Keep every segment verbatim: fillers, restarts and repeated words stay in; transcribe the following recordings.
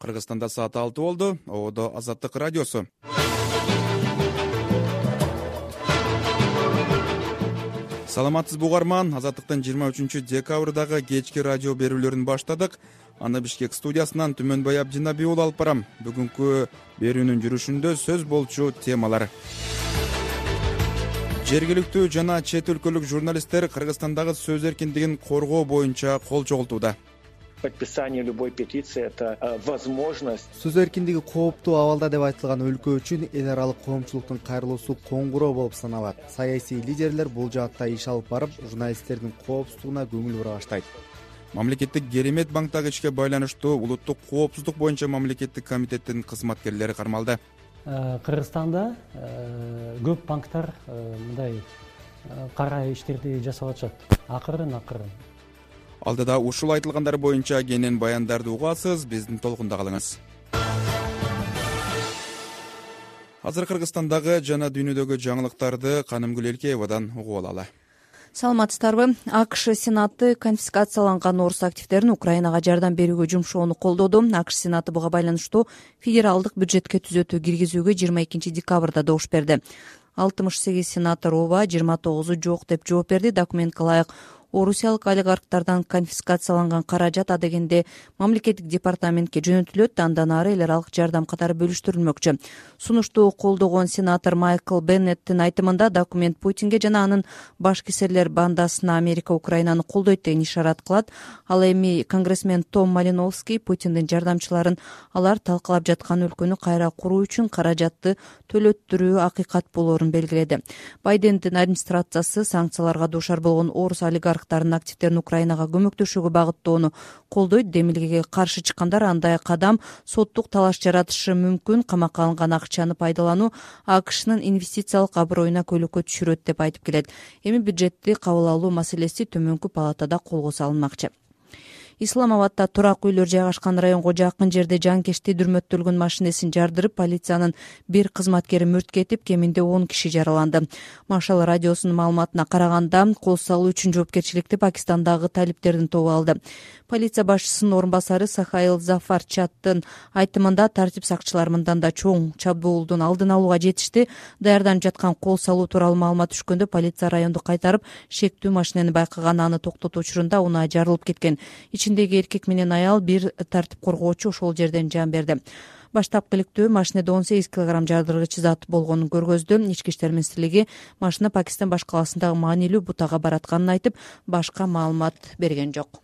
Кыргызстанда саат алты болду. Ободо Азаттык радиосу. Саламатсызбы угарман. Азаттыктын жыйырма үчүнчү декабрдагы кечки радио берүүлөрүн баштадык. Аны Бишкек студиясынан Түмөнбай Абдинабий уулу алып барам. Бүгүнкү берүүнүн жүрүшүндө сөз болчу темалар. Жергиликтүү жана чет өлкөлүк журналисттер Кыргызстандагы сөз эркиндигин коргоо боюнча кол чогултууда. Подписание любой петиции — это возможность. Сөз эркиндиги кооптуу абалда деп айтылган өлкө үчүн эл аралык коомчулуктун кайрылуусу коңгуроо болуп саналат. Саясий лидерлер бул жаатта иш алып барып, журналисттердин коопсуздугуна көңүл бура баштайт. Мамлекеттик керемет банктагы ишке байланыштуу улуттук коопсуздук боюнча мамлекеттик комитеттин кызматкерлери кармалды. Кыргызстанда көп банктар мындай кара иштерди жасап атышат. Акырын акырын. Алдыда ушул айтылгандар боюнча кенен баяндарды угасыз, биздин толкунда калыңыз. Азыр Кыргызстандагы жана дүйнөдөгү жаңылыктарды Канымгүл Элкеевадан угуп алалы. Саламатсыздарбы? АКШ Сенаты конфискацияланган орус активдерин Украинага жардам берүүгө жумшоону колдоду. АКШ Сенаты буга байланыштуу федералдык бюджетке түзөтүү киргизүүгө жыйырма экинчи декабрда добуш берди. алтымыш сегиз сенатор ооба, жыйырма тогузу жок деп жооп берди. Документке ылайык орусиялык олигархтардан конфискацияланган каражат адегенде мамлекеттик департаментке жөнөтүлөт, андан ары эл аралык жардам катары бөлүштүрүлмөкчү. Сунушту колдогон сенатор Майкл Беннеттин айтымында документ Путинге жана анын баш кесирлер бандасына Америка Украинаны колдойт деген ишарат кылат. Ал эми конгрессмен Том Малиновский Путиндин жардамчыларын алар талкалап жаткан өлкөнү кайра куруу үчүн каражатты төлөттүрүү акыйкат болоорун белгиледи. Байдендин администрациясы санкцияларга дуушар болгон орус олигарх активдерин Украинага көмөктөшүүгө багыттоону колдойт. Демилгеге каршы чыккандар андай кадам соттук талаш жаратышы мүмкүн, камакка алынган акчаны пайдалануу АКШнын инвестициялык аброюна көйлөккө түшүрөт деп айтып келет. Эми бюджетти кабыл алуу маселеси төмөнкү палатада колго салынмакчы. Исламабадда турак үйлөр жайгашкан районго жакын жерде жанкечти дүрмөттөлгөн машинесин жардырып, полициянын бир кызматкери мүрт кетип, кеминде он киши жараланды. Машал радиосунун маалыматына караганда, кол салуу үчүн жоопкерчиликти Пакистандагы талиптердин тобу алды. Полиция башчысынын орун басары Сахаил Зафар Чаттын айтымында тартип сакчылар мындан да чоң чабуулдун алдын алууга жетишти. Даярданып жаткан кол салуу тууралуу маалымат түшкөндө полиция районду кайтарып, шектүү машинени байкаган, аны токтотуу учурунда унаа жарылып кеткен. Ичиндеги эркек менен аял, бир тартип коргоочу ошол жерден жан берди. Баштапкы иликтөө машинеде он сегиз килограмм жардыргыч зат болгонун көргөздү. Ички иштер министрлиги машина Пакистан баш каласындагы маанилүү бутага баратканын айтып, башка маалымат берген жок.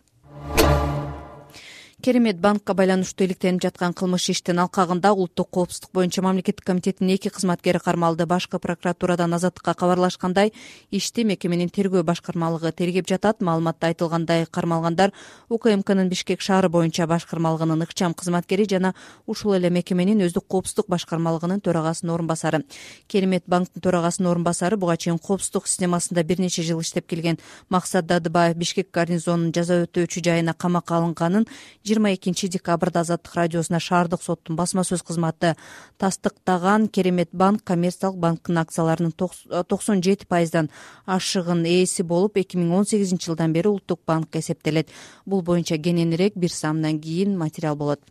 Керемет банкка байланыштуу иликтенип жаткан кылмыш иштин алкагында улуттук коопсуздук боюнча мамлекеттик комитеттин эки кызматкери кармалды. Башкы прокуратурадан Азаттыкка кабарлашкандай, ишти мекеменин тергөө башкармалыгы тергеп жатат. Маалыматта айтылгандай, кармалгандар УКМКнын Бишкек шаары боюнча башкармалыгынын ыкчам кызматкери жана ушул эле мекеменин өздүк коопсуздук башкармалыгынын төрагасынын орун басары. Керемет банктын төрагасынын орун басары буга чейин коопсуздук системасында бир нече жыл иштеп келген Максат Дадыбаев Бишкек гарнизонунун жаза өтөөчү жайына камакка алынганын жыйырма экинчи декабрда Азаттык радиосуна шаардык соттун басма сөз кызматы тастыктаган. Керемет банк коммерциялык банктын акцияларынын токсон жети пайыздан ашыгын ээси болуп, эки миң он сегизинчи жылдан бери улуттук банкка эсептелет. Бул боюнча кененирээк бир саамдан кийин материал болот.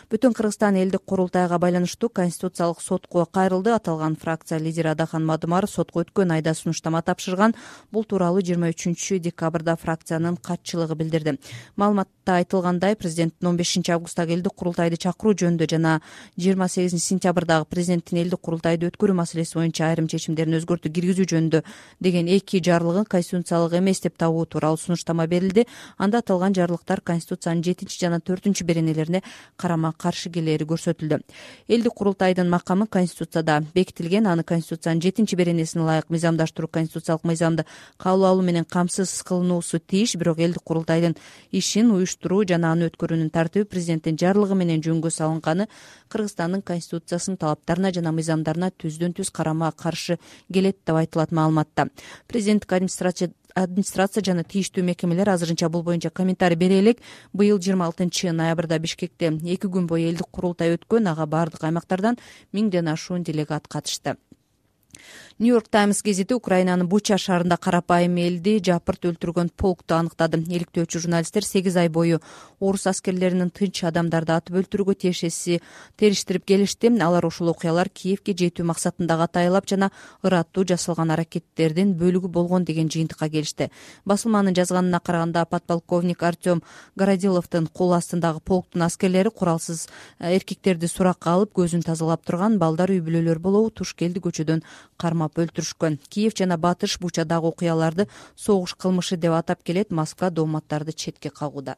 Бүтүн Кыргызстан элдик курултайга байланыштуу Конституциялык сотко кайрылды. Аталган фракция лидери Адахан Мадумаров сотко өткөн айда сунуштама тапшырган. Бул тууралуу жыйырма үчүнчү декабрда фракциянын катчылыгы билдирди. Маалыматта айтылгандай, президент он бешинчи августтагы элдик курултайды чакыруу жөнүндө жана жыйырма сегизинчи сентябрдагы президенттин элдик курултайды өткөрүү маселеси боюнча айрым чечимдерин өзгөртүү киргизүү жөнүндө деген эки жарлыгын конституциялык эмес деп табуу тууралуу сунуштама берилди. Анда аталган жарлыктар Конституциянын жетинчи жана төртүнчү беренелерине карама каршы келери көрсөтүлдү. Элдик курултайдын макамы Конституцияда бекитилген. Аны Конституциянын жетинчи беренесине ылайык мыйзамдаштыруу конституциялык мыйзамды кабыл алуу менен камсыз кылынуусу тийиш. Бирок элдик курултайдын ишин уюштуруу жана аны өткөрүүнүн тартиби президенттин жарлыгы менен жөнгө салынганы Кыргызстандын конституциясынын талаптарына жана мыйзамдарына түздөн түз карама каршы келет деп айтылат маалыматта. Президенттик администрация администрация жана тийиштүү мекемелер азырынча бул боюнча комментарий бере элек. Быйыл жыйырма алтынчы ноябрда Бишкекте эки күн бою элдик курултай өткөн. Ага бардык аймактардан миңден ашуун делегат катышты. Нью-Йорк Таймс гезити Украинанын Буча шаарында карапайым элди жапырт өлтүргөн полкту аныктады. Иликтөөчү журналисттер сегиз ай бою орус аскерлеринин тынч адамдарды атып өлтүрүүгө тиешеси териштирип келишти. Алар ушул окуялар Киевке жетүү максатында катайлап жана ыраттуу жасалган аракеттердин бөлүгү болгон деген жыйынтыкка келишти. Басылманын жазганына караганда подполковник Артем Городиловдун кол астындагы полктун аскерлери куралсыз эркектерди суракка алып көзүн тазалап турган балдар үй бүлөлөр болобу Тушкелди көчөдөн кармап өлтүрүшкөн. Киев жана Батыш Бучадагы окуяларды согуш кылмышы деп атап келет. Москва дооматтарды четке кагууда.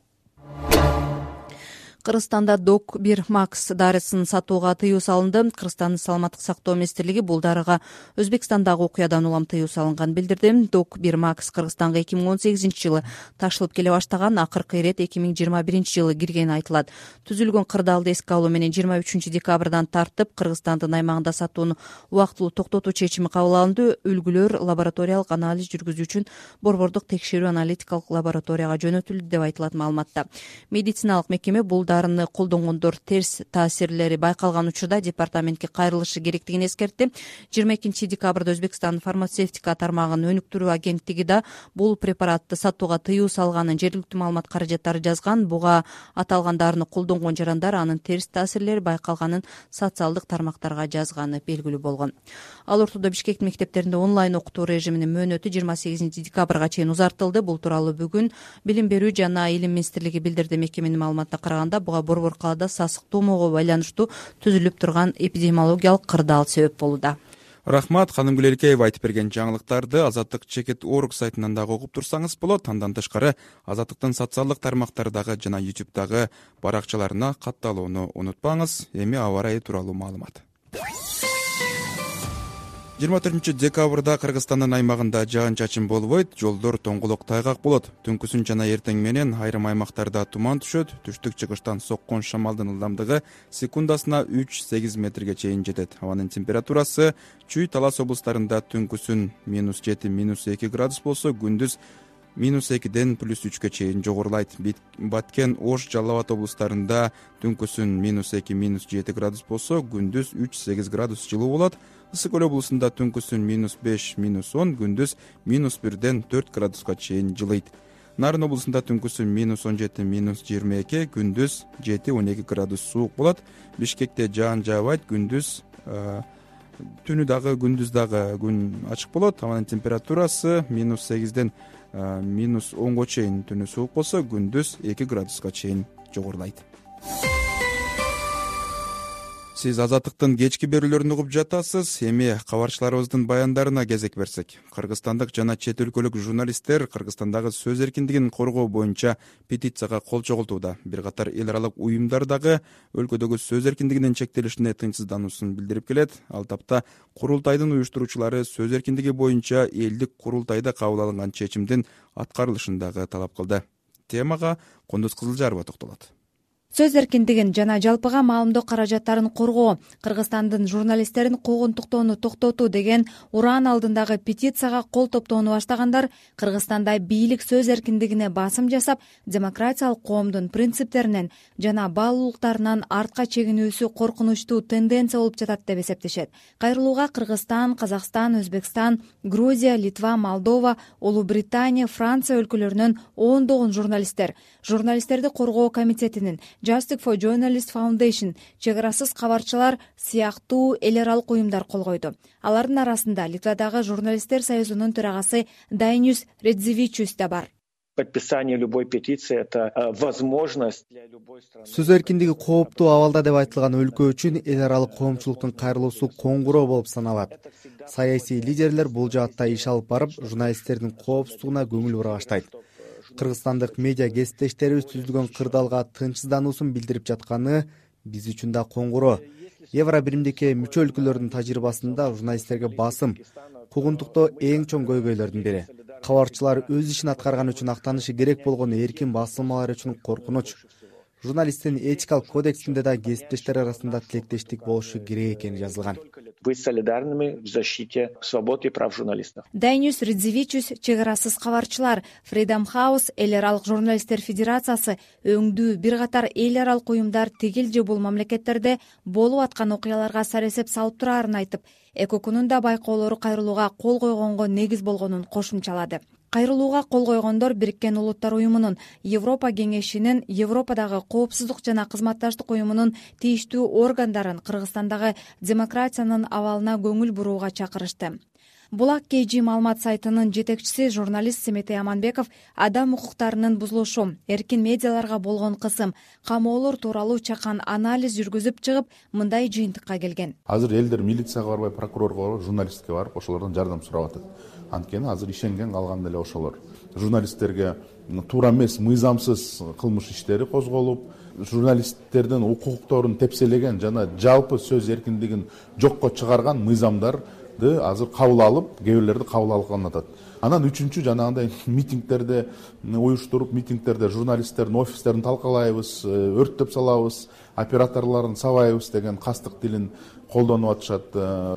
Кыргызстанда Док бир Макс дарысын сатууга тыюу салынды. Кыргызстандын саламаттык сактоо министрлиги бул дарыга Өзбекстандагы окуядан улам тыюу салынган билдирди. Док бир Макс Кыргызстанга эки миң он сегизинчи жылы ташылып келе баштаган, акыркы ирет эки миң жыйырма биринчи жылы киргени айтылат. Түзүлгөн кырдаалды эске алуу менен жыйырма үчүнчү декабрдан тартып Кыргызстандын аймагында сатууну убактылуу токтотуу чечими кабыл алынды. Үлгүлөр лабораториялык анализ жүргүзүү үчүн борбордук текшерүү аналитикалык лабораторияга жөнөтүлдү деп айтылат маалыматта. Медициналык мекеме бул дарыны колдонгондор терс таасирлери байкалган учурда департаментке кайрылышы керектигин эскертти. жыйырма экинчи декабрда Өзбекстандын фармацевтика тармагынын өнүктүрүү агенттиги да бул препаратты сатууга тыюу салганын жергиликтүү маалымат каражаттары жазган. Буга аталган дарыны колдонгон жарандар анын терс таасирлери байкалганын социалдык тармактарга жазганы белгилүү болгон. Ал ортодо Бишкектин мектептеринде онлайн окутуу режиминин мөөнөтү жыйырма сегизинчи декабрга чейин узартылды. Бул тууралуу бүгүн Билим берүү жана Илим министрлиги билдирди. Мекеменин маалыматына караганда буга Борбор калаада сасык туумоого байланыштуу түзүлүп турган эпидемиологиялык кырдаал себеп болууда. Рахмат, Ханым Гүлелкеева айтып берген жаңылыктарды Азаттык чекит орг сайтынан дагы окуп турсаңыз болот. Андан тышкары Азаттыктын социалдык тармактардагы жана ютубдагы баракчаларына катталууну унутпаңыз. Эми аба ырайы тууралуу маалымат. жыйырма төртүнчү декабрда Кыргызстандын аймагында жаан-чачын болбойт, жолдор тоңголок тайгак болот. Түнкүсүн жана эртең менен айрым аймактарда туман түшөт. Түштүк-чыгыштан соккон шамалдын ылдамдыгы секундасына үч сегиз метрге чейин жетет. Абанын температурасы Чүй, Талас облустарында түнкүсүн минус жети минус эки градус болсо, күндүз минус экиден плюс үчкө чейин жогорулайт. Баткен, Ош, Жалал Абад облустарында түнкүсүн минус эки минус жети градус болсо, күндүз үч сегиз градус жылуу болот. Ысык көл облусунда түнкүсүн минус беш минус он, күндүз минус бирден төрт градуска чейин жылыйт. Нарын облусунда түнкүсүн минус он жети минус жыйырма эки, күндүз жети он эки градус суук болот. Бишкекте жаан жаабайт, күндүз түнү дагы күндүз дагы күн ачык болот. Абанын температурасы минус сегизден минус онго чейин түнү суук болсо, күндүз эки градуска чейин жогорулайт. Сиз Азаттыктын кечки берүүлөрүн угуп жатасыз. Эми кабарчыларыбыздын баяндарына кезек берсек. Кыргызстандык жана чет өлкөлүк журналисттер Кыргызстандагы сөз эркиндигин коргоо боюнча петицияга кол чогултууда. Бир катар эл аралык уюмдар дагы өлкөдөгү сөз эркиндигинин чектелишине тынчсыздануусун билдирип келет. Ал тапта курултайдын уюштуруучулары сөз эркиндиги боюнча элдик курултайда кабыл алынган чечимдин аткарылышын дагы талап кылды. Темага Кондуз Кызылжарова токтолот. Сөз эркиндигин жана жалпыга маалымдоо каражаттарын коргоо, Кыргызстандын журналисттерин куугунтуктоону токтотуу деген ураан алдындагы петицияга кол топтоону баштагандар Кыргызстанда бийлик сөз эркиндигине басым жасап, демократиялык коомдун принциптеринен жана баалуулуктарынан артка чегинүүсү коркунучтуу тенденция болуп жатат деп эсептешет. Кайрылууга Кыргызстан, Казакстан, Өзбекстан, Грузия, Литва, Молдова, Улуу Британия, Франция өлкөлөрүнөн ондогон журналисттер, журналисттерди коргоо комитетинин, Justice for Journalists Foundation, чек арасыз кабарчылар сыяктуу эл аралык уюмдар кол койду. Алардын арасында Литвадагы журналисттер союзунун төрагасы Дайнюс Редзевичус да бар. Подписание любой петиции — это возможность для любой страны. Сөз эркиндиги кооптуу абалда деп айтылган өлкө үчүн эл аралык коомчулуктун кайрылуусу коңгуроо болуп саналат. Саясий лидерлер бул жаатта иш алып барып, журналисттердин коопсуздугуна көңүл бура баштайт. Кыргызстандык медиа кесиптештерибиз түзүлгөн кырдаалга тынчсыздануусун билдирип жатканы биз үчүн да коңгуроо. Евро биримдикке мүчө өлкөлөрдүн тажрыйбасында журналисттерге басым, куугунтуктоо эң чоң көйгөйлөрдүн бири. Кабарчылар өз ишин аткарган үчүн актанышы керек болгон эркин басылмалар үчүн коркунуч. журналисттин этикалык кодексинде да кесиптештер арасында тилектештик болушу керек экени жазылган. Быть солидарными в защите свобод и прав журналистов. Дайнюс Редзивичус, чек арасыз кабарчылар, Freedom House, эл аралык журналисттер федерациясы, өңдүү бир катар эл аралык уюмдар тигил же бул мамлекеттерде болуп аткан окуяларга саресеп салып турарын айтып, ЭКОКунун да байкоолору кайрылууга кол койгонго негиз болгонун кошумчалады. Кайрылууга кол койгондор Бириккен Улуттар уюмунун, Европа кеңешинин, Европадагы коопсуздук жана кызматташтык уюмунун тийиштүү органдарын Кыргызстандагы демократиянын абалына көңүл бурууга чакырышты. Булак кей жи маалымат сайтынын жетекчиси журналист Семетей Аманбеков адам укуктарынын бузулушу, эркин медиаларга болгон кысым, камоолор тууралуу чакан анализ жүргүзүп чыгып, мындай жыйынтыкка келген. Азыр элдер милицияга барбай, прокурорго барбай, журналистке барып, ошолордон жардам сурап атат. Анткени азыр ишенген калган эле ошолор. Журналисттерге туура эмес, мыйзамсыз кылмыш иштери козголуп, журналисттердин укукторун тепселеген жана жалпы сөз эркиндигин жокко чыгарган мыйзамдар азыр кабыл алып, кээ бирлерди кабыл алган атат. Анан үчүнчү жанагындай митингдерди уюштуруп, митингдерде журналисттердин офистерин талкалайбыз, өрттөп салабыз, операторлорун сабайбыз деген кастык тилин колдонуп атышат.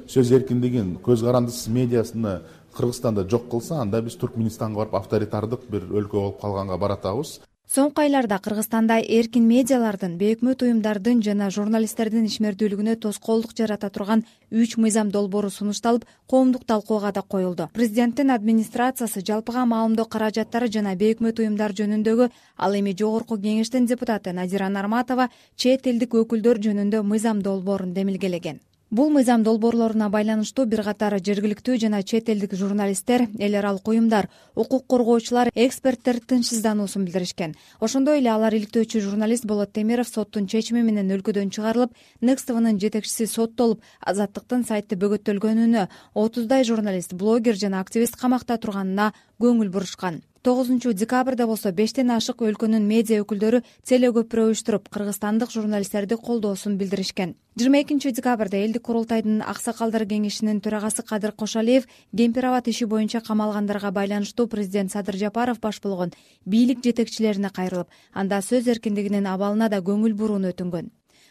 Сөз эркиндигин, көз карандысыз медиасыны Кыргызстанда жок кылса, анда биз Туркменистанга барып авторитардык бир өлкө болуп калганга баратабыз. Соңку айларда Кыргызстанда эркин медиалардын, бейөкмөт уюмдардын жана журналисттердин ишмердүүлүгүнө тоскоолдук жарата турган үч мыйзам долбоору сунушталып, коомдук талкууга да коюлду. Президенттин администрациясы жалпыга маалымдоо каражаттары жана бейөкмөт уюмдар жөнүндөгү, ал эми жогорку кеңештин депутаты Надира Нарматова чет элдик өкүлдөр жөнүндө мыйзам долбоорун демилгелеген. Бул мыйзам долбоорлоруна байланыштуу бир катар жергиликтүү жана чет элдик журналисттер, эл аралык уюмдар, укук коргоочулар, эксперттер тынчсыздануусун билдиришкен. Ошондой эле алар иликтөөчү журналист Болот Темиров соттун чечими менен өлкөдөн чыгарылып, Next T V'нын жетекчиси соттолуп, Азаттыктын сайты бөгөттөлгөнүнө, отуздай журналист, блогер жана активист камакта турганына көңүл бурушкан. тогузунчу декабрда болсо бештен ашык өлкөнүн медиа өкүлдөрү телегөпүрө уюштуруп, кыргызстандык журналисттерди колдоосун билдиришкен. жыйырма экинчи декабрда элдик курултайдын аксакалдар кеңешинин төрагасы Кадыр Кошалиев Кемпир-Абад иши боюнча камалгандарга байланыштуу президент Садыр Жапаров баш болгон бийлик жетекчилерине кайрылып, анда сөз эркиндигинин абалына да көңүл бурууну өтүнгөн.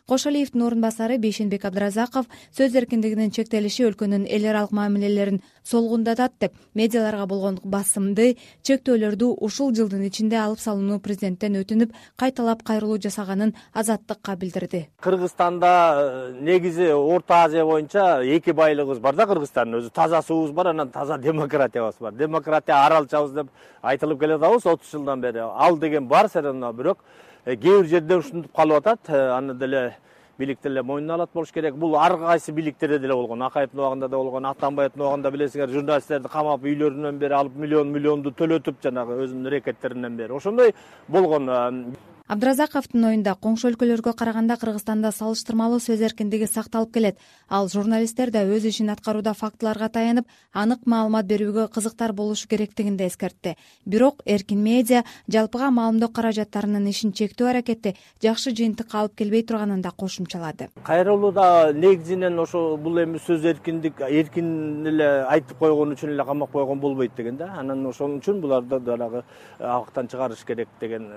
Кошалиевдин орун басары Бейшенбек Абдыразаков сөз эркиндигинин чектелиши өлкөнүн эл аралык мамилелерин солгундатат деп, медиаларга болгон басымды, чектөөлөрдү ушул жылдын ичинде алып салууну президенттен өтүнүп, кайталап кайрылуу жасаганын Азаттыкка билдирди. Кыргызстанда негизи Орто Азия боюнча эки байлыгыбыз бар да, Кыргызстандын өзү таза суубуз бар, анан таза демократиябыз бар. Демократия аралчабыз деп айтылып келатабыз отуз жылдан бери. Ал деген бар серена, бирок кээ бир жерде ушинтип калып атат. Аны деле бийлик деле мойнуна алат болуш керек. Бул ар кайсы бийликтерде деле болгон. Акаевдин убагында да болгон, Атамбаевдин убагында билесиңер, журналисттерди камап, үйлөрүнөн бери алып миллион миллионду төлөтүп, жанагы өзүнүн рекеттеринен бери ошондой болгон. Абдыразаковдун оюнда коңшу өлкөлөргө караганда Кыргызстанда салыштырмалуу сөз эркиндиги сакталып келет. Ал журналисттер да өз ишин аткарууда фактыларга таянып, анык маалымат берүүгө кызыктар болушу керектигин да эскертти. Бирок эркин медиа жалпыга маалымдоо каражаттарынын ишин чектөө аракети жакшы жыйынтыкка алып келбей турганын да кошумчалады. Кайрылууда негизинен ошо бул эми сөз эркиндик эркин эле айтып койгон үчүн эле камап койгон болбойт деген да. Анан ошон үчүн буларды дагы абактан чыгарыш керек деген.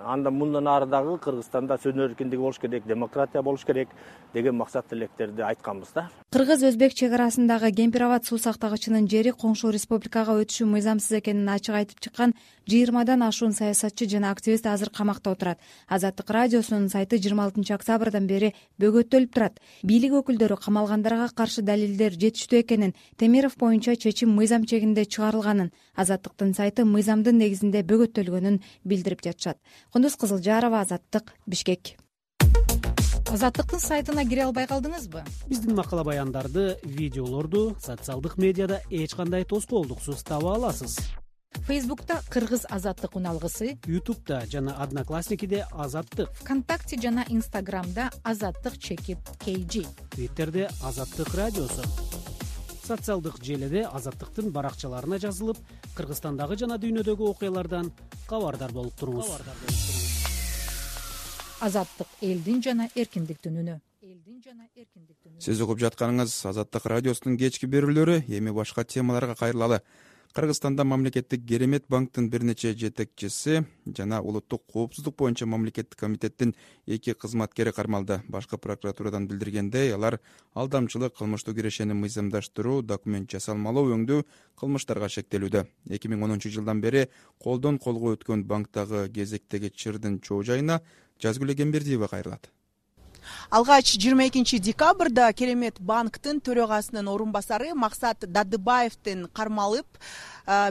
Анда мындан ары дагы Кыргызстанда сөз эркиндиги болуш керек, демократия болуш керек деген максат тилектерди айтканбыз да. Кыргыз-өзбек чек арасындагы Кемпир-Абад суу сактагычынын жери коңшу республикага өтүшү мыйзамсыз экенин ачык айтып чыккан жыйырмадан ашуун саясатчы жана активист азыр камакта отурат. Азаттык радиосунун сайты жыйырма алтынчы октябрдан бери бөгөттөлүп турат. Бийлик өкүлдөрү камалгандарга каршы далилдер жетиштүү экенин, Темиров боюнча чечим мыйзам чегинде чыгарылганын, Азаттыктын сайты мыйзамдын негизинде бөгөттөлгөнүн билдирип жатышат. Кундуз Кызылжарова, Азаттык, Бишкек. Азаттыктын сайтына кире албай калдыңызбы? Биздин макала баяндарды, видеолорду социалдык медиада эч кандай тоскоолдуксуз таба аласыз. Фейсбукта Кыргыз Азаттык уналгысы, Ютубта жана Одноклассникиде Азаттык, ВКонтакте жана Инстаграмда Азаттык чекит кей жи, Твиттерде Азаттык радиосу. Социалдык желеде Азаттыктын баракчаларына жазылып, Кыргызстандагы жана дүйнөдөгү окуялардан кабардар болуп туруңуз. Азаттык элдин жана эркиндиктин үнү. Сиз угуп жатканыңыз Азаттык радиосунун кечки берүүлөрү. Эми башка темаларга кайрылалы. Кыргызстанда мамлекеттик Керемет банктын бир нече жетекчиси жана улуттук коопсуздук боюнча мамлекеттик комитеттин эки кызматкери кармалды. Башкы прокуратурадан билдиргендей, алар алдамчылык, кылмыштуу кирешени мыйзамдаштыруу, документ жасалмалоо өңдүү кылмыштарга шектелүүдө. эки миң онунчу жылдан бери колдон колго өткөн банктагы кезектеги чырдын чоо жайына Жазгүл Эгембердиева кайрылат. Алгач жыйырма экинчи декабрда Керемет банктын төрагасынын орун басары Максат Дадыбаевдин кармалып,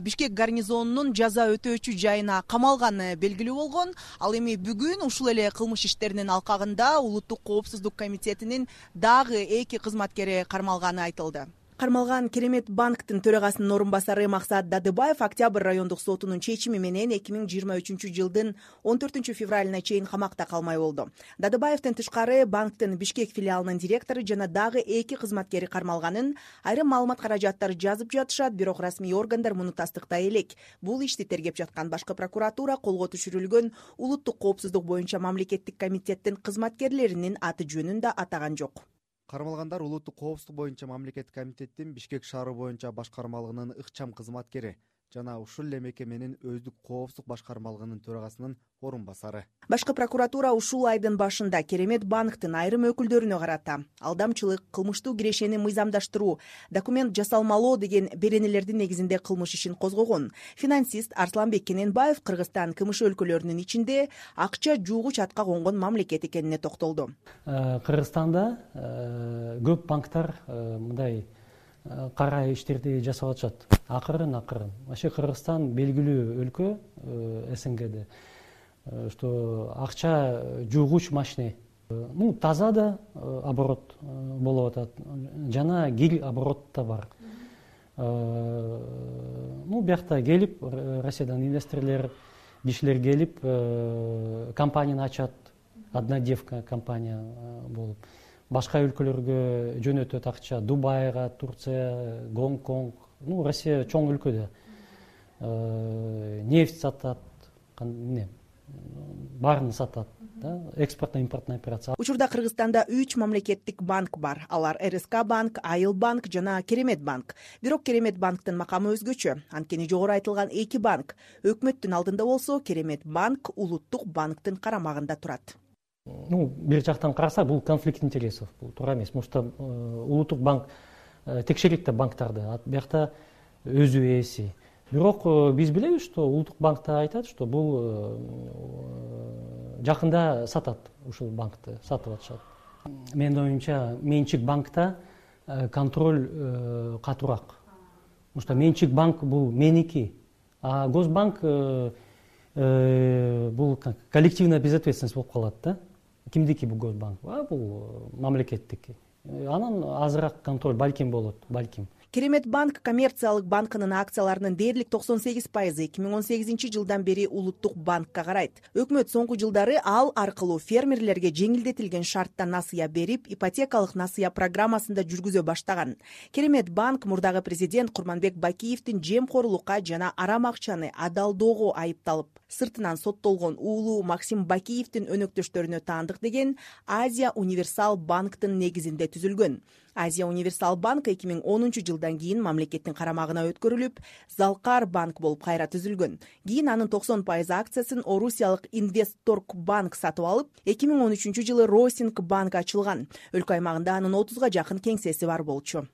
Бишкек гарнизонунун жаза өтөөчү жайына камалганы белгилүү болгон. Ал эми бүгүн ушул эле кылмыш иштеринин алкагында Улуттук коопсуздук комитетинин дагы эки кызматкери кармалганы айтылды. Кармалган Керемет банктын төрагасынын орун басары Максат Дадыбаев Октябрь райондук сотунун чечими менен эки миң жыйырма үчүнчү жылдын он төртүнчү февралына чейин камакта калмай болду. Дадыбаевдин тышкары банктын Бишкек филиалынын директору жана дагы эки кызматкери кармалганын айрым маалымат каражаттары жазып жатышат, бирок расмий органдар муну тастыктай элек. Бул ишти тергеп жаткан башкы прокуратура колго түшүрүлгөн Улуттук коопсуздук боюнча мамлекеттик комитеттин кызматкерлеринин аты жөнүн да атаган жок. Кармалгандар Улуттук коопсуздук боюнча мамлекеттик комитеттин Бишкек шаары боюнча башкармалыгынын ыкчам кызматкери жана ушул эле мекеменин өздүк коопсуздук башкармалыгынын төрагасынын орун басары. Башкы прокуратура ушул айдын башында Керемет банктын айрым өкүлдөрүнө карата алдамчылык, кылмыштуу кирешени мыйзамдаштыруу, документ жасалмалоо деген беренелердин негизинде кылмыш ишин козгогон. Финансист Арсланбек Кененбаев Кыргызстан КМШ өлкөлөрүнүн ичинде акча жуугуч атка конгон мамлекет экенине токтолду. Кыргызстанда көп банктар мындай кара иштерди жасап атышат. Акырын акырын. Вообще Кыргызстан белгилүү өлкө СНГде, что акча жуугуч машина. Ну, таза да оборот болуп атат. Жана гил оборот да бар. Ну, биякта келип, Россиядан инвесторлор, кишилер келип, компанияны ачат. Однодевка компания болуп. Башка өлкөлөргө жөнөтөт акча. Дубайга, Турция, Гонконг. Ну, Россия чоң өлкө да. Нефть сатат, эмне, баарын сатат. Экспортно-импортный операция. Учурда Кыргызстанда үч мамлекеттик банк бар. Алар РСК банк, Айыл банк жана Керемет банк. Бирок Керемет банктын макамы өзгөчө. Анткени жогору айтылган эки банк өкмөттүн алдында болсо, Керемет банк Улуттук банктын карамагында турат. Ну, бир жактан караса, бул конфликт интересов, бул туура эмес. Потому что Улуттук банк текшерет да банктарды, биякта өзү ээси. Бирок биз билебиз, что Улуттук банкта айтат, что бул жакында сатат, ушул банкты сатып атышат. Менин оюмча, менчик банкта контроль катуураак. Потому что менчик банк бул меники, а Госбанк бул коллективная безответственность болуп калат да. Кимдики бул Госбанк? А бул мамлекеттики. Анан азыраак контроль балким болот, балким. Керемет банк коммерциялык банкынын акцияларынын дээрлик токсон сегиз пайызы эки миң он сегизинчи жылдан бери Улуттук банкка карайт. Өкмөт соңку жылдары ал аркылуу фермерлерге жеңилдетилген шартта насыя берип, ипотекалык насыя программасында жүргүзө баштаган. Керемет банк мурдагы президент Курманбек Бакиевдин жемкорлукка жана арам акчаны адалдоого айыпталып, сыртынан соттолгон уулу Максим Бакиевдин өнөктөштөрүнө таандык деген Азия Универсал банктын негизинде түзүлгөн. Азия Универсал банк эки миң онунчу жылдан кийин мамлекеттин карамагына өткөрүлүп, Залкар банк болуп кайра түзүлгөн. Кийин анын токсон пайыз акциясын Орусиялык Инвестторг банк сатып алып, эки миң он үчүнчү жылы Росинг банк ачылган. Өлкө аймагында анын отузга жакын кеңсеси бар болчу.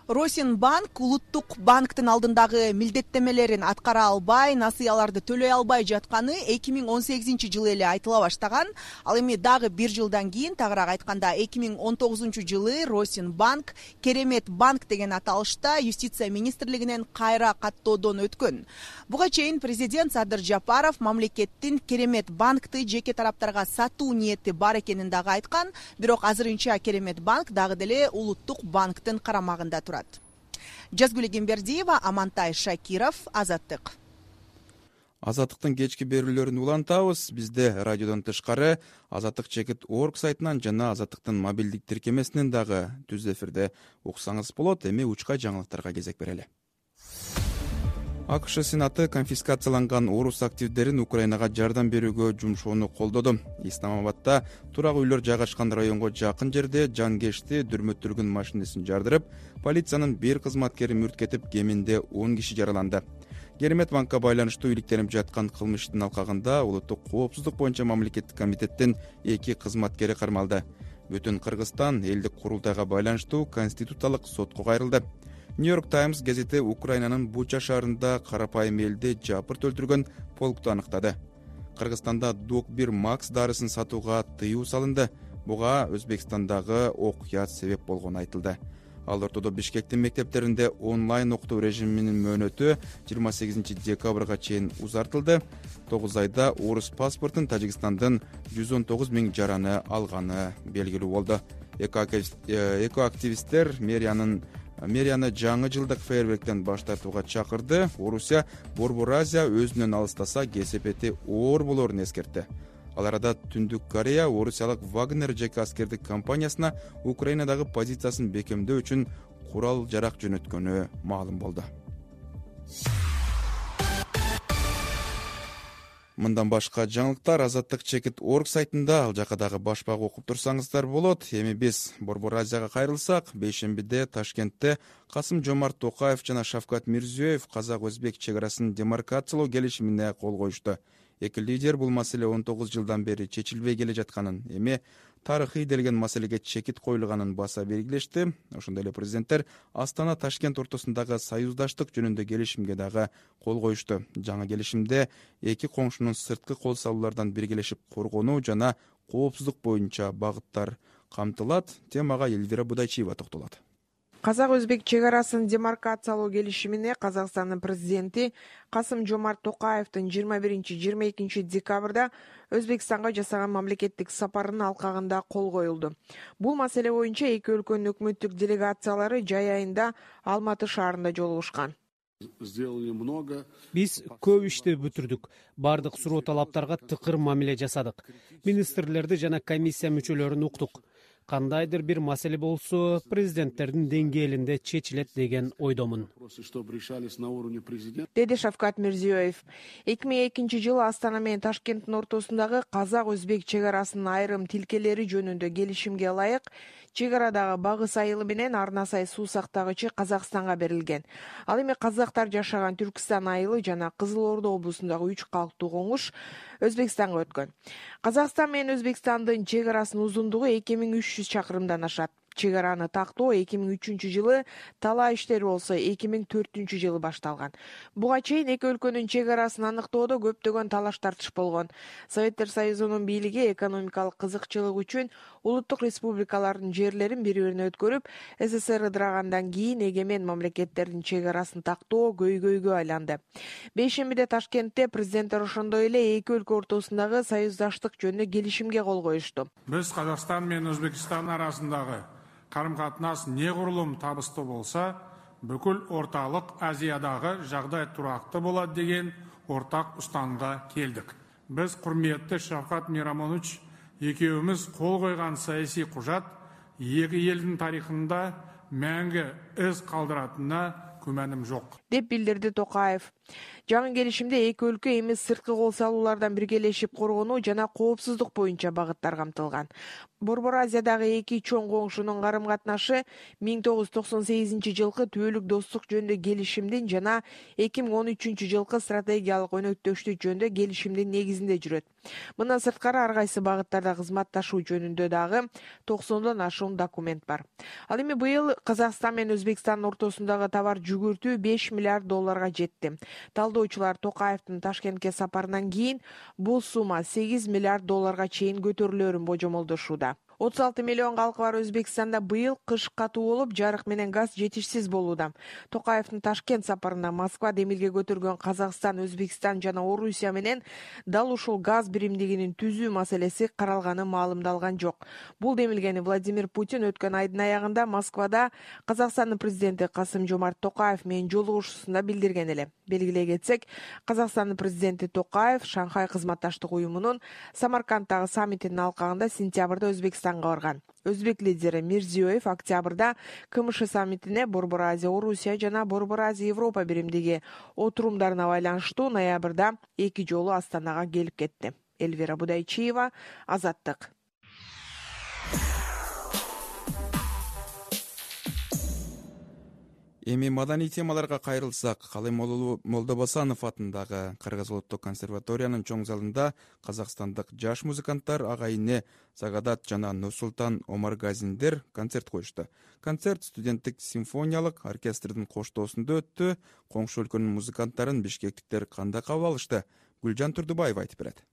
Росин банк Улуттук банктын алдындагы милдеттемелерин аткара албай, насыяларды төлөй албай жатканы эки миң он сегизинчи жылы эле айтыла баштаган. Ал эми дагы бир жылдан кийин, тагыраак айтканда эки миң он тогузунчу жылы Росин банк Керемет банк деген аталышта юстиция министрлигинен кайра каттоодон өткөн. Буга чейин президент Садыр Жапаров мамлекеттин Керемет банкты жеке тараптарга сатуу ниети бар экенин дагы айткан, бирок азырынча Керемет банк дагы деле Улуттук банктын карамагында турат. Жазгүл Эгембердиева, Амантай Шакиров, Азаттык. Азаттыктын кечки берүүлөрүн улантабыз. Бизде радиодон тышкары азаттык чекит точка орг сайтынан жана Азаттыктын мобилдик тиркемесинен дагы түз эфирде уксаңыз болот. Эми учка жаңылыктарга кезек берели. АКШ Сенаты конфискацияланган орус активдерин Украинага жардам берүүгө жумшоону колдоду. Исламабадда турак үйлөр жайгашкан районго жакын жерде жангешти дүрмөттүргөн машинесин жардырып, полициянын бир кызматкери мүрт кетип, кеминде он киши жараланды. керемет банкка байланыштуу иликтенип жаткан кылмыштын алкагында улуттук коопсуздук боюнча мамлекеттик комитеттин эки кызматкери кармалды. Бүтүн Кыргызстан элдик курултайга байланыштуу конституциялык сотко кайрылды. Нью-Йорк Таймс газети Украинанын Буча шаарында карапайым элди жапырт өлтүргөн полкту аныктады. Кыргызстанда Док бир Макс дарысын сатууга тыюу салынды. Буга Өзбекстандагы окуя себеп болгону айтылды. Ал ортодо Бишкектин мектептеринде онлайн окутуу режиминин мөөнөтү жыйырма сегизинчи декабрга чейин узартылды. тогуз айда орус паспортун Тажикстандын жүз он тогуз миң жараны алганы белгилүү болду. Экоактивисттер мэриянын мэрияны жаңы жылдык фейерверктен баш тартууга чакырды. Орусия Борбор Азия өзүнөн алыстаса кесепети оор болоорун эскертти. Ал арада Түндүк Корея орусиялык Вагнер жеке аскердик компаниясына Украинадагы позициясын бекемдөө үчүн курал жарак жөнөткөнү маалым болду. Мындан башка жаңылыктар Азаттык чекит точка орг сайтында, ал жака дагы башпак окуп турсаңыздар болот. Эми биз Борбор Азияга кайрылсак, бейшембиде Ташкентте Касым-Жомарт Токаев жана Шавкат Мирзиёев казак-өзбек чек арасын демаркациялоо келишимине кол коюшту. Эки лидер бул маселе он тогуз жылдан бери чечилбей келе жатканын, эми тарыхый делген маселеге чекит коюлганын баса белгилешти. Ошондой эле президенттер Астана Ташкент ортосундагы союздаштык жөнүндө келишимге дагы кол коюшту. Жаңы келишимде эки коңшунун сырткы кол салуулардан биргелешип коргонуу жана коопсуздук боюнча багыттар камтылат. Темага Элвира Будайчиева токтолот. Казак-өзбек чек арасын демаркациялоо келишимине Казакстандын президенти Касым-Жомарт Токаевдин жыйырма биринчи жыйырма экинчи декабрда Өзбекстанга жасаган мамлекеттик сапарынын алкагында кол коюлду. Бул маселе боюнча эки өлкөнүн өкмөттүк делегациялары жай айында Алматы шаарында жолугушкан. Биз көп ишти бүтүрдүк. Бардык суроо талаптарга тыкыр мамиле жасадык. Министрлерди жана комиссия мүчөлөрүн уктук. Кандайдыр бир маселе болсо, президенттердин деңгээлинде чечилет деген ойдомун, деди Шавкат Мирзиёев. эки миң экинчи жылы Астана менен Ташкенттин ортосундагы казак-өзбек чек арасынын айрым тилкелери жөнүндө келишимге ылайык чек арадагы багыс айылы менен Арна сай суу сактагычы Казакстанга берилген. Ал эми казактар жашаган Түркстан айылы жана Кызыл Ордо облусундагы үч калктуу коңуш Өзбекстанга өткөн. Казакстан менен Өзбекстандын чек арасынын узундугу эки миң үч жүз чакырымдан ашат. Чек араны тактоо эки миң үчүнчү жылы, талаа иштери болсо эки миң төртүнчү жылы башталган. Буга чейин эки өлкөнүн чек арасын аныктоодо көптөгөн талаш тартыш болгон. Советтер Союзунун бийлиги экономикалык кызыкчылык үчүн улуттук республикалардын жерлерин бири-бирине өткөрүп, СССР ыдырагандан кийин эгемен мамлекеттердин чек арасын тактоо көйгөйгө айланды. Бейшембиде Ташкентте президенттер ошондой эле эки өлкө ортосундагы союздаштык жөнүндө келишимге кол коюшту. Биз Казакстан менен Өзбекстан арасындагы карым-катнаш негурулум табыстуу болса, бүкүл орталык Азиядагы жагдай турактуу болот деген ортак устанымга келдик. Биз курметтүү Шавкат Мирамонович экөөбүз кол койгон саясий кужат эки элдин тарыхында мәңгі из калдыратынына күмәним жок, деп билдирди Токаев. Жаңы келишимде эки өлкө эми сырткы кол салуулардан биргелешип коргонуу жана коопсуздук боюнча багыттар камтылган. Борбор Азиядагы эки чоң коңшунун карым-катнашы миң тогуз жүз токсон сегизинчи жылкы түбөлүк достук жөнүндө келишимдин жана эки миң он үчүнчү жылкы стратегиялык өнөктөштүк жөнүндө келишимдин негизинде жүрөт. Мындан сырткары ар кайсы багыттарда кызматташуу жөнүндө дагы токсондон ашуун документ бар. Ал эми быйыл Казакстан менен Өзбекстандын ортосундагы товар жүгүртүү беш миллиард долларга жетти. Талдоочулар Токаевдин Ташкентке сапарынан кийин бул сумма сегиз миллиард долларга чейин көтөрүлөрүн божомолдошууда. отуз алты миллион калкы бар Өзбекстанда быйыл кыш катуу болуп, жарык менен газ жетишсиз болууда. Токаевдин Ташкент сапарында Москва демилге көтөргөн Казакстан, Өзбекстан жана Орусия менен дал ушул газ биримдигинин түзүү маселеси каралганы маалымдалган жок. Бул демилгени Владимир Путин өткөн айдын аягында Москвада Казакстандын президенти Касым-Жомарт Токаев менен жолугушуусунда билдирген эле. Белгилей кетсек, Казакстандын президенти Токаев Шанхай кызматташтык уюмунун Самаркандтагы саммитинин алкагында сентябрда Өзбекстанга барган. Өзбек лидери Мирзиёев октябрда КМШ саммитине Борбор Азия Орусия жана Борбор Азия Европа биримдиги отурумдарына байланыштуу ноябрда эки жолу Астанага келип кетти. Элвира Будайчиева, Азаттык. Эми маданий темаларга кайрылсак, Калаймолдо Молдобосанов атындагы Кыргыз улуттук консерваториянын чоң залында казакстандык жаш музыканттар Агайне Сагадат жана Нурсултан Омаргазиндер концерт коюшту. Концерт студенттик симфониялык оркестрдин коштоосунда өттү. Коңшу өлкөнүн музыканттарын бишкектиктер кандай кабыл алышты? Гүлжан Турдубаева айтып берет.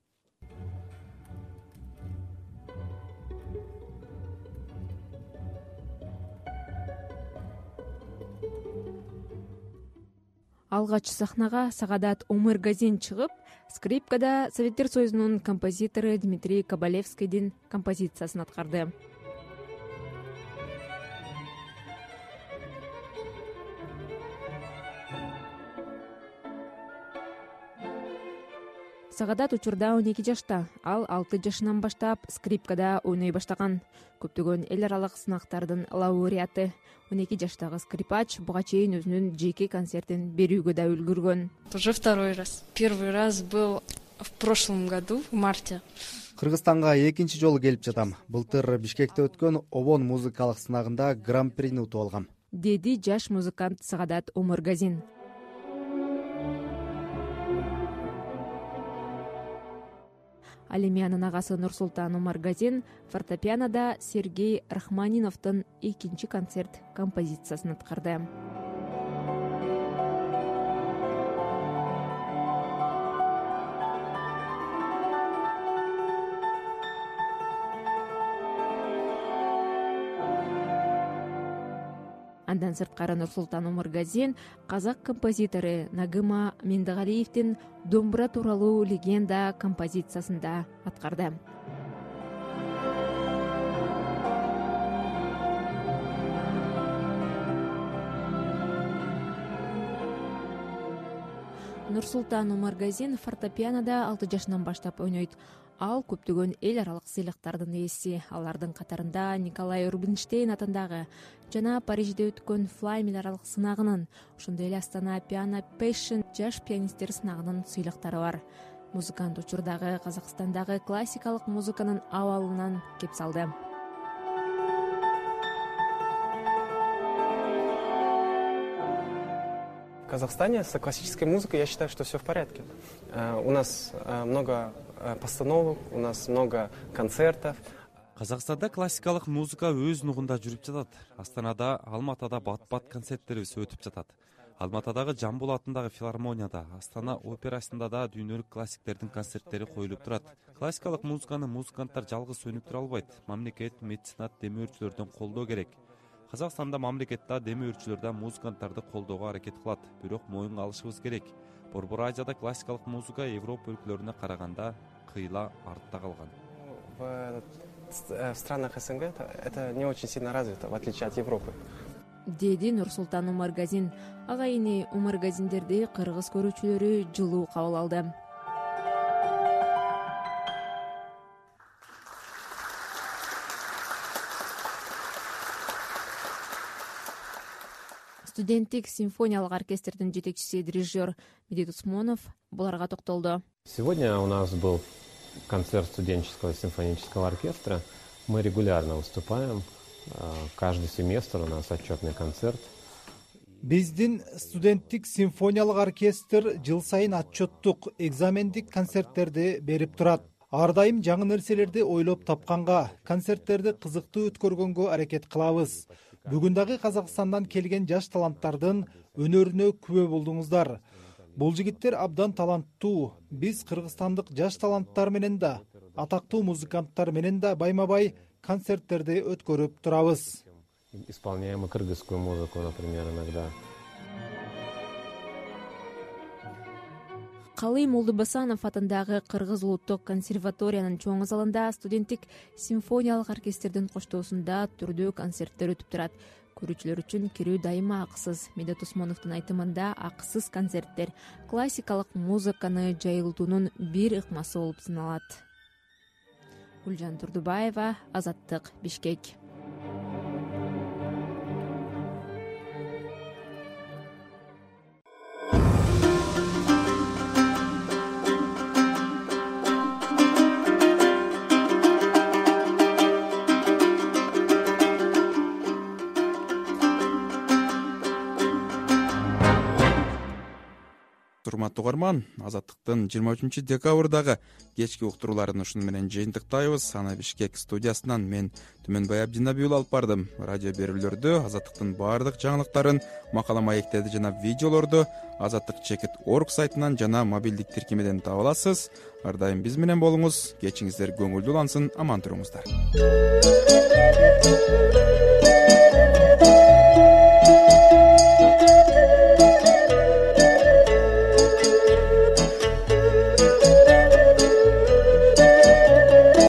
Алгач сахнага Сагадат Омаргазин чыгып, скрипкада Советтер Союзунун композитору Дмитрий Кабалевскийдин композициясын аткарды. Сагадат учурда он эки жашта, ал алты жашынан баштап скрипкада ойной баштаган. Көптөгөн эл аралык сынактардын лауреаты. он эки жаштагы скрипач буга чейин өзүнүн жеке концертин берүүгө да үлгүргөн. Уже второй раз. Первый раз был в прошлом году, в марте. Кыргызстанга экинчи жолу келип жатам. Былтыр Бишкекте өткөн Обон музыкалык сынагында гран-прини утуп алгам, деди жаш музыкант Сагадат Омаргазин. Ал эми анын агасы Нурсултан Омаргазин фортепианода Сергей Рахманиновдун экинчи концерт композициясын аткарды. Андан сырткары Нурсултан Омаргазин казак композитору Нагыма Мендегалиевдин Домбура тууралуу легенда композициясында аткарды. Нурсултан Омаргазин фортепианода алты жашынан баштап ойнойт. Ал көптөгөн эл аралык сыйлыктардын ээси. Алардын катарында Николай Рубинштейн атындагы жана Парижде өткөн Флаймел аралык сынагынын, ошондой эле Астана Piano Passion жаш пианисттер сынагынын сыйлыктары бар. Музыкант учурдагы Казакстандагы классикалык музыканын абалынан кеп салды. В Казахстане с классической музыкой я считаю, что все в порядке. У нас много постановок, у нас много концертов. Казакстанда классикалык музыка өз нугунда жүрүп жатат. Астанада, Алматада бат-бат концерттерибиз өтүп жатат. Алматадагы Жамбул атындагы филармонияда, Астана операсында да дүйнөлүк классиктердин концерттери коюлуп турат. Классикалык музыканы музыканттар жалгыз өнүктүрө албайт. Мамлекет, меценат, демөөрчүлөрдөн колдоо керек. Казакстанда мамлекет да, демөөрчүлөр да музыканттарды колдоого аракет кылат. Бирок моюнга алышыбыз керек. Борбор Азияда классикалык музыка Европа өлкөлөрүнө караганда кыйла артта калган. В странах СНГ это не очень сильно развито, в отличие от Европы. Деди Нурсултан Омаргазин. Агайни Омаргазиндерди кыргыз көрүүчүлөрү жылуу кабыл алды. Студенттик симфониялык оркестрдин жетекчиси дирижер Медет Усмонов буларга токтолду. Сегодня у нас был концерт студенческого симфонического оркестра. Мы регулярно выступаем. Каждый семестр у нас отчетный концерт. Биздин студенттик симфониялык оркестр жыл сайын отчеттук экзамендик концерттерди берип турат. Ар дайым жаңы нерселерди ойлоп тапканга, концерттерди кызыктуу өткөргөнгө аракет кылабыз. Бүгүн дагы Казакстандан келген жаш таланттардын өнөрүнө күбө болдуңуздар. Бул жигиттер абдан таланттуу. Биз кыргызстандык жаш таланттар менен да, атактуу музыканттар менен да байма-бай концерттерди өткөрүп турабыз. Исполняем и кыргызскую музыку, например, иногда. Калый Молдобосанов атындагы Кыргыз улуттук консерваториянын чоң залында студенттик симфониялык оркестрдин коштоосунда түрдүү концерттер өтүп турат. Көрүүчүлөр үчүн кирүү дайыма акысыз. Медет Усмоновдун айтымында акысыз концерттер классикалык музыканы жайылтуунун бир ыкмасы болуп саналат. Гүлжан Турдубаева, Азаттык, Бишкек. урматтуу угарман, Азаттыктын жыйырма үчүнчү декабрдагы кечки уктурууларын ушуну менен жыйынтыктайбыз. Аны Бишкек студиясынан мен Түмөнбай Абдинабиул алып бардым. Радио берүүлөрдү, Азаттыктын баардык жаңылыктарын, макала маектерди жана видеолорду азаттык чекит точка орг сайтынан жана мобилдик тиркемеден таба аласыз. Ар дайым биз менен болуңуз. Кечиңиздер көңүлдүү улансын, аман туруңуздар.